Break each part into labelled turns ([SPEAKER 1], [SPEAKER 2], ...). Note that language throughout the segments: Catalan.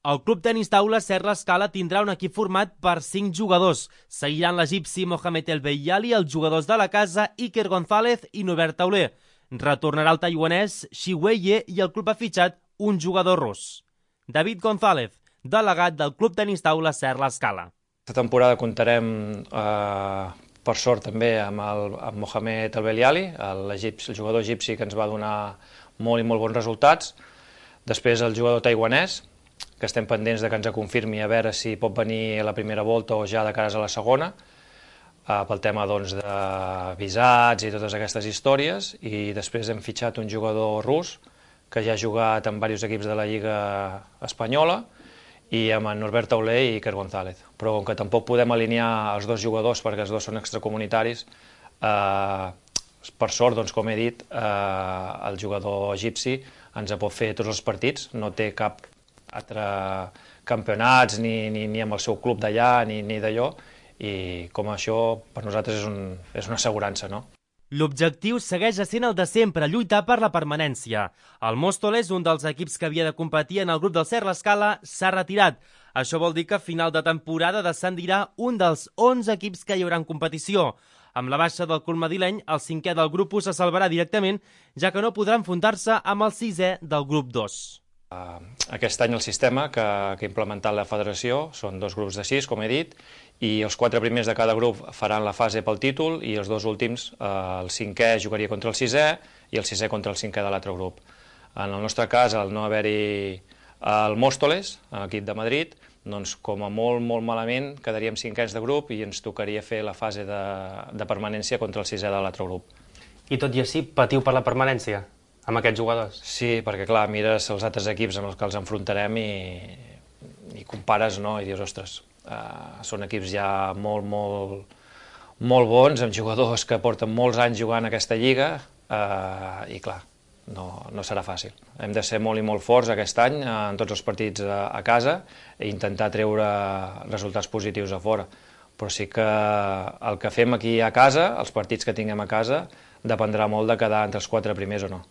[SPEAKER 1] El Club Tenis Taula Serra Escala tindrà un equip format per 5 jugadors. Seguiran l'egipci Mohamed El Beyali, els jugadors de la casa Iker González i Norbert Tauler. Retornarà el taiwanès Shi Wei i el club ha fitxat un jugador rus. David González, delegat del Club Tenis Taula Serra Escala.
[SPEAKER 2] Aquesta temporada comptarem, per sort, també amb Mohamed El Beyali, el jugador egipci que ens va donar molt i molt bons resultats. Després el jugador taiwanès, que estem pendents de que ens confirmi a veure si pot venir a la primera volta o ja de cares a la segona, pel tema de visats i totes aquestes històries. I després hem fitxat un jugador rus, que ja ha jugat en diversos equips de la Lliga Espanyola, i amb en Norbert Tauler i Iker González. Però com que tampoc podem alinear els dos jugadors perquè els dos són extracomunitaris, per sort, com he dit, el jugador egipci ens pot fer tots els partits, no té cap altre campionats ni amb el seu club d'allà ni d'allò, i com això per nosaltres és una assegurança, no?
[SPEAKER 1] L'objectiu segueix sent el de sempre, lluitar per la permanència. El Móstoles, un dels equips que havia de competir en el grup del Serra Escala, s'ha retirat. Això vol dir que a final de temporada descendirà un dels 11 equips que hi haurà en competició. Amb la baixa del club madrileny, el 5è del grup 1 se salvarà directament, ja que no podrà enfrontar-se amb el 6è del grup 2.
[SPEAKER 2] Aquest any el sistema que ha implementat la federació són 2 grups de 6, com he dit, i els 4 primers de cada grup faran la fase pel títol i els 2 últims, el 5è jugaria contra el 6è i el 6è contra el 5è de l'altre grup. En el nostre cas, al no haver-hi el Móstoles, l'equip de Madrid, doncs com a molt malament quedaríem 5ens de grup i ens tocaria fer la fase de permanència contra el 6è de l'altre grup.
[SPEAKER 3] I tot i així patiu per la permanència amb aquests jugadors?
[SPEAKER 2] Sí, perquè clar, mires els altres equips amb els que els enfrontarem i compares, no? I dius, ostres, són equips ja molt bons, amb jugadors que porten molts anys jugant a aquesta lliga, i clar, no serà fàcil. Hem de ser molt i molt forts aquest any en tots els partits a casa i intentar treure resultats positius a fora. Però sí que el que fem aquí a casa, els partits que tinguem a casa, dependrà molt de quedar entre els 4 primers o no.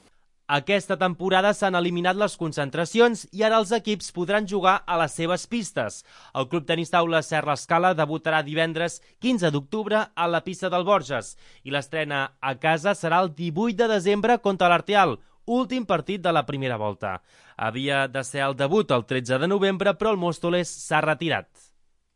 [SPEAKER 1] Aquesta temporada s'han eliminat les concentracions i ara els equips podran jugar a les seves pistes. El Club Tenis Taula Serra Escala debutarà divendres 15 d'octubre a la pista del Borges i l'estrena a casa serà el 18 de desembre contra l'Arteal, últim partit de la primera volta. Havia de ser el debut el 13 de novembre, però el Móstoles s'ha retirat.